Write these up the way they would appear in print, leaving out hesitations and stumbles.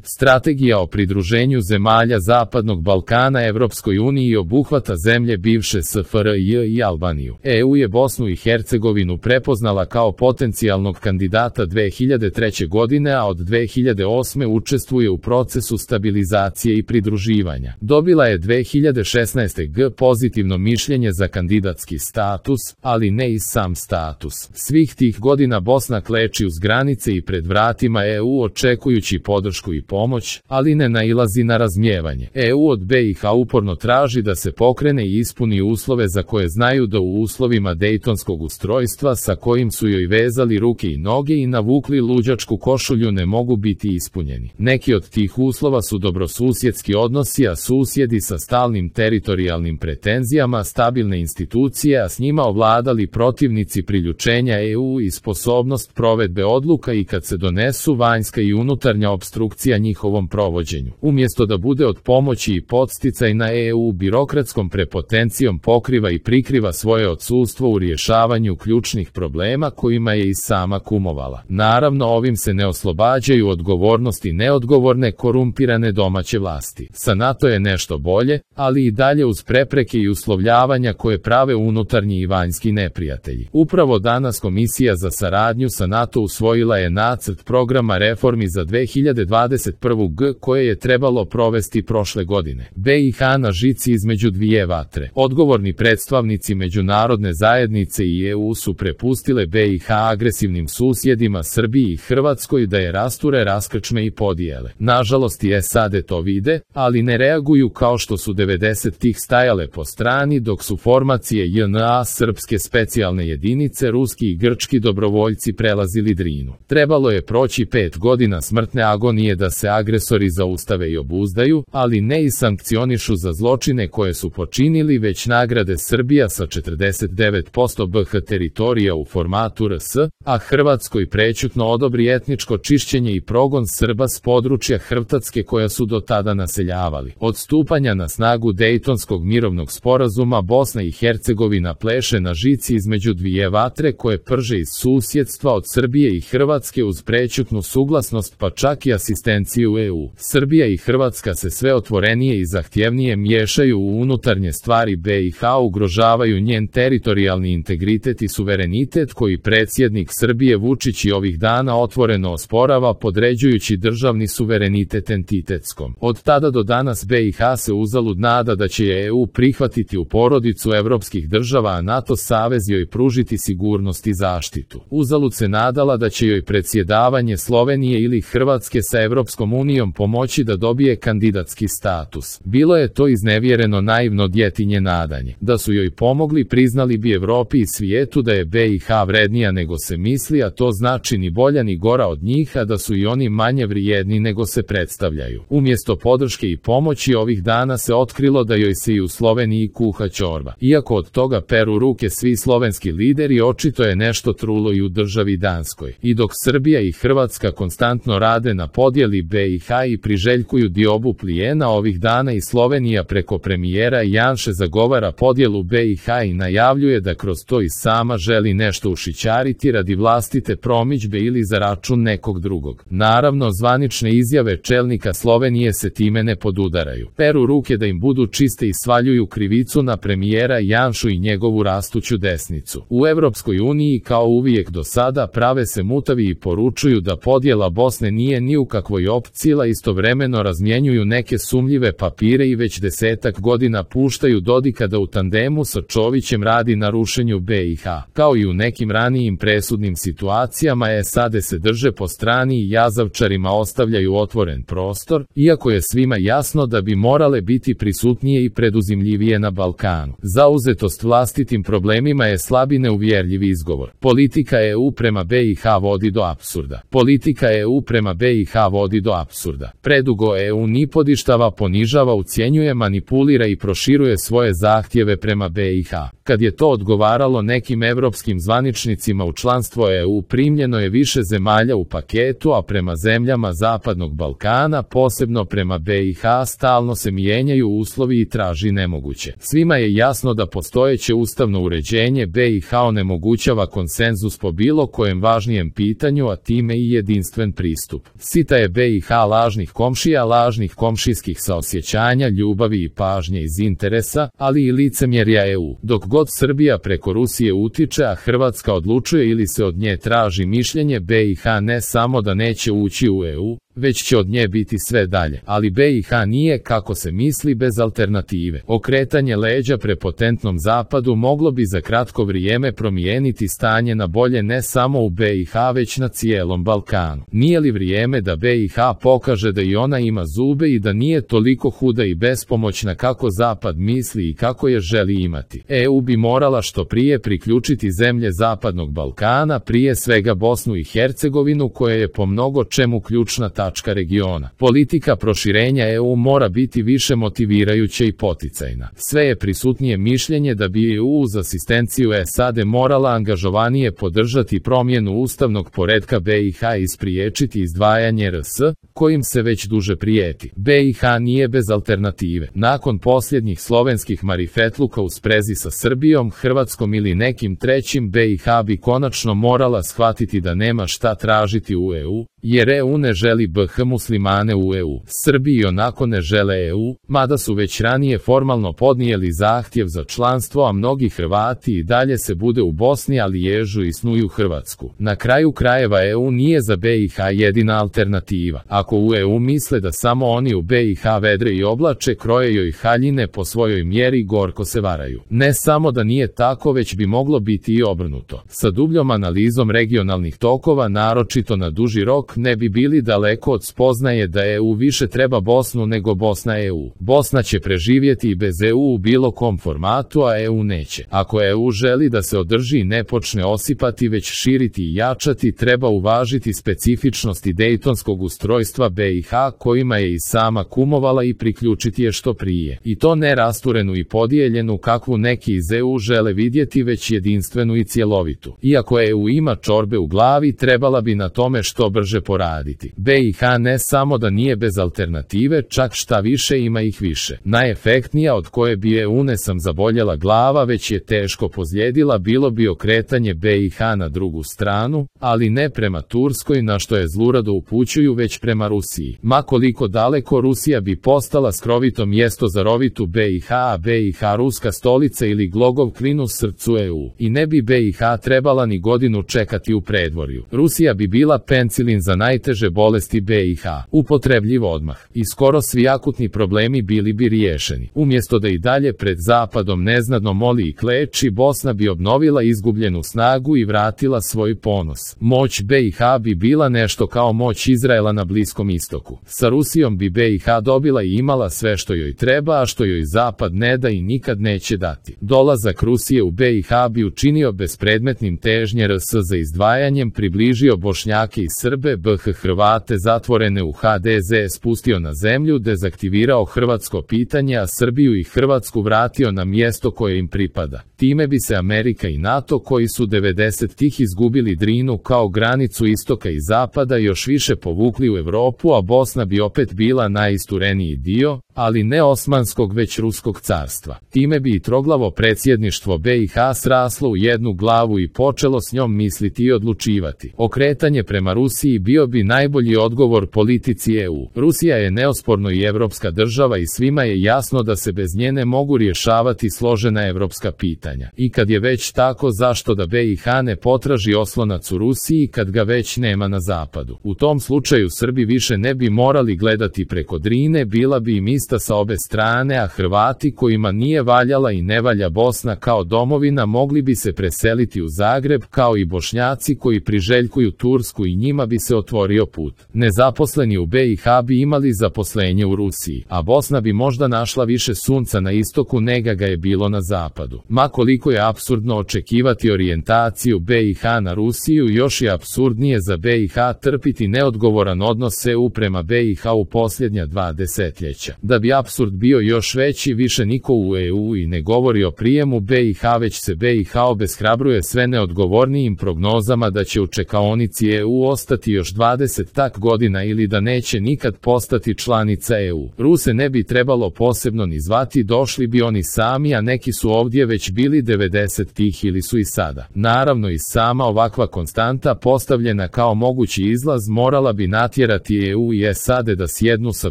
Strategija o pridruženju zemalja Zapadnog Balkana Evropskoj uniji obuhvata zemlje bivše SFRJ i Albaniju. EU je Bosnu i Hercegovinu prepoznala kao potencijalnog kandidata 2003. godine, a od 2008. učestvuje u procesu stabilizacije i pridruživanja. Dobila je 2016. pozitivno mišljenje za kandidatski status, ali ne i sam status. Svih tih godina Bosna kleči uz granice i pred vratima EU očekujući podršku i pomoć, ali ne nailazi na razumijevanje. EU od BiH uporno traži da se pokrene i ispuni uslove za koje znaju da u uslovima dejtonskog ustrojstva sa kojim su joj vezali ruke i noge i navukli luđačku košulju ne mogu biti ispunjeni. Neki od tih uslova su dobrosusjedski odnosi, a susjedi sa stalnim teritorijalnim pretenzijama, stabilne institucije, a s njima ovladali protivnici priključenja EU i sposobnost provedbe odluka i kad se donesu vanjska i unutarnja opstrukcija njihovom provođenju. Umjesto da bude od pomoći i podsticaj na EU birokratskom prepotencijom pokriva i prikriva svoje odsustvo u rješavanju ključnih problema kojima je i sama kumovala. Naravno, ovim se ne oslobađaju odgovornosti neodgovorne korumpirane domaće vlasti. Sa NATO je nešto bolje, ali i dalje uz prepreke i uslovljavanja koje prave unutarnji i vanjski neprijatelji. Upravo danas Komisija za saradnju sa NATO usvojila je nacrt programa reformi za 2021. koje je trebalo provesti prošle godine. BiH na žici između dvije vatre. Odgovorni predstavnici međunarodne zajednice i EU su prepustile BiH agresivnim susjedima Srbiji i Hrvatskoj da je rasture, raskrčme i podijele. Nažalost i SAD to vide, ali ne reaguju kao što su 90-ih stajale po strani dok su formacije JNA, srpske specijalne jedinice, ruski i grčki dobrovoljci prelazili Drinu. Trebalo je proći 5 godina smrtne agonije da se agresori zaustave i obuzdaju, ali ne i sankcionišu za zločine koje su počinili, već nagrade Srbija sa 49% BiH teritorija u formatu RS, a Hrvatskoj prećutno odobri etničko čišćenje i progon Srba s područja Hrvatske koja su do tada naseljavali. Od stupanja na snagu Dejtonskog mirovnog sporazuma Bosna i Hercegovina pleše na žici između dvije vatre koje prže iz susjedstva od Srbije i Hrvatske uz prećutnu suglasnost pa čak i asistenciju EU. Srbija i Hrvatska se sve otvorenije i zahtjevnije miješaju u unutarnje stvari BiH, ugrožavaju njen teritorijalni integritet i suverenitet koji predsjednik Srbije Vučić i ovih dana otvoreno osporava podređujući državni suverenitet entitetskom. Od tada do danas BiH se uzalud nada da će je EU prihvatiti u porodicu evropskih država, a NATO savez joj pružiti sigurnost i zaštitu. Uzalud se nadala da će joj predsjedavanje Slovenije ili Hrvatske sa Evropskom unijom pomoći da dobije kandidatski status. Bilo je to iznevjereno naivno djetinje nadanje. Da su joj pomogli, priznali bi Evropi i svijetu da je BiH vrednija nego se misli, a to znači ni bolja ni gora od njih, a da su i oni manje vrijedni nego se predstavljaju. Umjesto podrške i pomoći ovih dana se otkrilo da joj se i u Sloveniji kuha čorba. Iako od toga peru ruke svi slovenski lideri, očito je nešto trulo i u državi Danskoj. I dok Srbija i Hrvatska konstantno rade na podjeli BiH i priželjkuju diobu plijena, ovih dana i Slovenija preko premijera Janše zagovara podjelu BiH i najavljuje da kroz to i sama želi nešto ušićariti radi vlastite promidžbe ili za račun nekog drugog. Naravno, zvanične izjave čelnika Slovenije se time ne podudaraju. Peru ruke da im budu čiste i svaljuju krivicu na premijera Janšu i njegovu rastuću desnicu. U Evropskoj uniji kao uvijek do sada prave se mutavi i poručuju da podjela Bosne nije ni u kakvoj opciji, a istovremeno razmjenjuju neke sumnjive papire i već 10 godina puštaju Dodika da u tandemu sa Čovićem radi na rušenju BiH. Kao i u nekim ranijim presudnim situacijama, SAD se drže po strani i jazavčarima ostavljaju otvoren prostor, iako je svima jasno da bi morale biti prisutnije i preduzimljivije na Balkanu. Zauzetost vlastitim problemima je slab i neuvjerljiv izgovor. Politika EU prema BiH vodi do apsurda. Politika EU prema BiH vodi do apsurda. Predugo EU nipodištava, ponižava, ucjenjuje, manipulira i proširuje svoje zahtjeve prema BiH. Kad je to odgovaralo nekim evropskim zvaničnicima, u članstvo EU primljeno je više zemalja u paketu, a prema zemljama Zapadnog Balkana, posebno prema BiH, stalno se mijenjaju uslovi i traži nemoguće. Svima je jasno da postojeće ustavno uređenje BiH onemogućava konsenzus po bilo kojem važnijem pitanju, a time i jedinstven pristup. Sita je BiH BiH lažnih komšija, lažnih komšijskih saosjećanja, ljubavi i pažnje iz interesa, ali i licemjerja EU. Dok god Srbija preko Rusije utiče, a Hrvatska odlučuje ili se od nje traži mišljenje, BiH ne samo da neće ući u EU, već će od nje biti sve dalje. Ali BiH nije, kako se misli, bez alternative. Okretanje leđa prepotentnom zapadu moglo bi za kratko vrijeme promijeniti stanje na bolje ne samo u BiH već na cijelom Balkanu. Nije li vrijeme da BiH pokaže da i ona ima zube i da nije toliko huda i bespomoćna kako zapad misli i kako je želi imati? EU bi morala što prije priključiti zemlje zapadnog Balkana, prije svega Bosnu i Hercegovinu, koja je po mnogo čemu ključna tačka regiona. Politika proširenja EU mora biti više motivirajuća i poticajna. Sve je prisutnije mišljenje da bi EU uz asistenciju SAD morala angažovanije podržati promjenu ustavnog poretka BiH i spriječiti izdvajanje RS, kojim se već duže prijeti. BiH nije bez alternative. Nakon posljednjih slovenskih marifetluka u sprezi sa Srbijom, Hrvatskom ili nekim trećim, BiH bi konačno morala shvatiti da nema šta tražiti u EU, jer EU ne želi BiH muslimane u EU. Srbiji onako ne žele EU, mada su već ranije formalno podnijeli zahtjev za članstvo, a mnogi Hrvati i dalje se bude u Bosni, ali ježu i snuju Hrvatsku. Na kraju krajeva EU nije za BiH jedina alternativa. Ako u EU misle da samo oni u BiH vedre i oblače, kroje joj haljine po svojoj mjeri, gorko se varaju. Ne samo da nije tako, već bi moglo biti i obrnuto. Sa dubljom analizom regionalnih tokova, naročito na duži rok, ne bi bili daleko od spoznaje da EU više treba Bosnu nego Bosna EU. Bosna će preživjeti i bez EU u bilo kom formatu, a EU neće. Ako EU želi da se održi i ne počne osipati već širiti i jačati, treba uvažiti specifičnosti dejtonskog ustrojstva BiH, kojima je i sama kumovala, i priključiti je što prije. I to ne rasturenu i podijeljenu kakvu neki iz EU žele vidjeti, već jedinstvenu i cjelovitu. Iako EU ima čorbe u glavi, trebala bi na tome što brže poraditi. BiH ne samo da nije bez alternative, čak šta više, ima ih više. Najefektnija od koje bi EU ne sam zaboljela glava, već je teško pozlijedila, bilo bi okretanje BiH na drugu stranu, ali ne prema Turskoj, na što je zlurado upućuju, već prema Rusiji. Ma koliko daleko, Rusija bi postala skrovito mjesto za rovitu BiH, a BiH ruska stolica ili glogov klin u srcu EU. I ne bi BiH trebala ni godinu čekati u predvorju. Rusija bi bila penicilin za najteže bolesti BiH, upotrebljiv odmah. I skoro svi akutni problemi bili bi riješeni. Umjesto da i dalje pred zapadom neznadno moli i kleči, Bosna bi obnovila izgubljenu snagu i vratila svoj ponos. Moć BiH bi bila nešto kao moć Izraela na Bliskom istoku. Sa Rusijom bi BiH dobila i imala sve što joj treba, a što joj zapad ne da i nikad neće dati. Dolazak Rusije u BiH bi učinio bespredmetnim težnje RS za izdvajanjem, približio Bošnjake i Srbe, Hrvate zatvorene u HDZ spustio na zemlju, dezaktivirao hrvatsko pitanje, a Srbiju i Hrvatsku vratio na mjesto koje im pripada. Time bi se Amerika i NATO, koji su 90-ih izgubili Drinu kao granicu istoka i zapada, još više povukli u Europu, a Bosna bi opet bila najistureniji dio, ali ne Osmanskog već Ruskog carstva. Time bi i troglavo predsjedništvo BiH sraslo u jednu glavu i počelo s njom misliti i odlučivati. Okretanje prema Rusiji bio bi najbolji odgovor politici EU. Rusija je neosporno i evropska država i svima je jasno da se bez nje ne mogu rješavati složena evropska pitanja. I kad je već tako, zašto da BiH ne potraži oslonac u Rusiji kad ga već nema na zapadu? U tom slučaju Srbi više ne bi morali gledati preko Drine, bila bi im ista sa obe strane, a Hrvati kojima nije valjala i ne valja Bosna kao domovina mogli bi se preseliti u Zagreb, kao i Bošnjaci koji priželjkuju Tursku, i njima bi se otvorio put. Nezaposleni u BiH bi imali zaposlenje u Rusiji, a Bosna bi možda našla više sunca na istoku nego ga je bilo na zapadu. Ma koliko je apsurdno očekivati orijentaciju BiH na Rusiju, još je apsurdnije za BiH trpiti neodgovoran odnos EU prema BiH u posljednja 2 desetljeća. Da bi apsurd bio još veći, više niko u EU i ne govori o prijemu BiH, već se BiH obeshrabruje sve neodgovornijim prognozama da će u čekaonici EU ostati još 20 godina ili da neće nikad postati članica EU. Ruse ne bi trebalo posebno ni zvati, došli bi oni sami, a neki su ovdje već bili 90-ih ili su i sada. Naravno i sama ovakva konstanta postavljena kao mogući izlaz morala bi natjerati EU i SAD da sjednu sa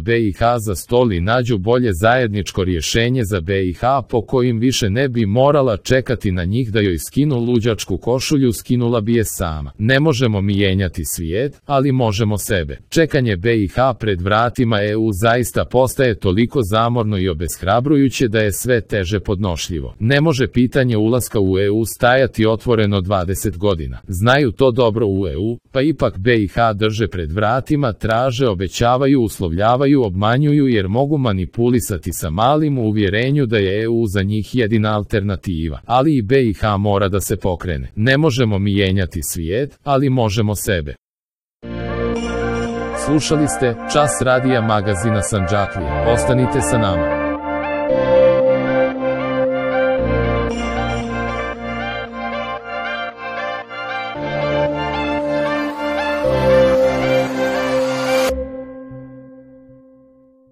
BiH za stol i nađu bolje zajedničko rješenje za BiH po kojim više ne bi morala čekati na njih da joj skinu luđačku košulju, skinula bi je sama. Ne možemo mijenjati svijet, ali možemo sebe. Čekanje BiH pred vratima EU zaista postaje toliko zamorno i obeshrabrujuće da je sve teže podnošljivo. Ne može pitanje ulaska u EU stajati otvoreno 20 godina. Znaju to dobro u EU, pa ipak BiH drže pred vratima, traže, obećavaju, uslovljavaju, obmanjuju jer mogu manipulisati sa malim u uvjerenju da je EU za njih jedina alternativa. Ali i BiH mora da se pokrene. Ne možemo mijenjati svijet, ali možemo sebe. Slušali ste Čas radija magazina Sandžaklija. Ostanite sa nama.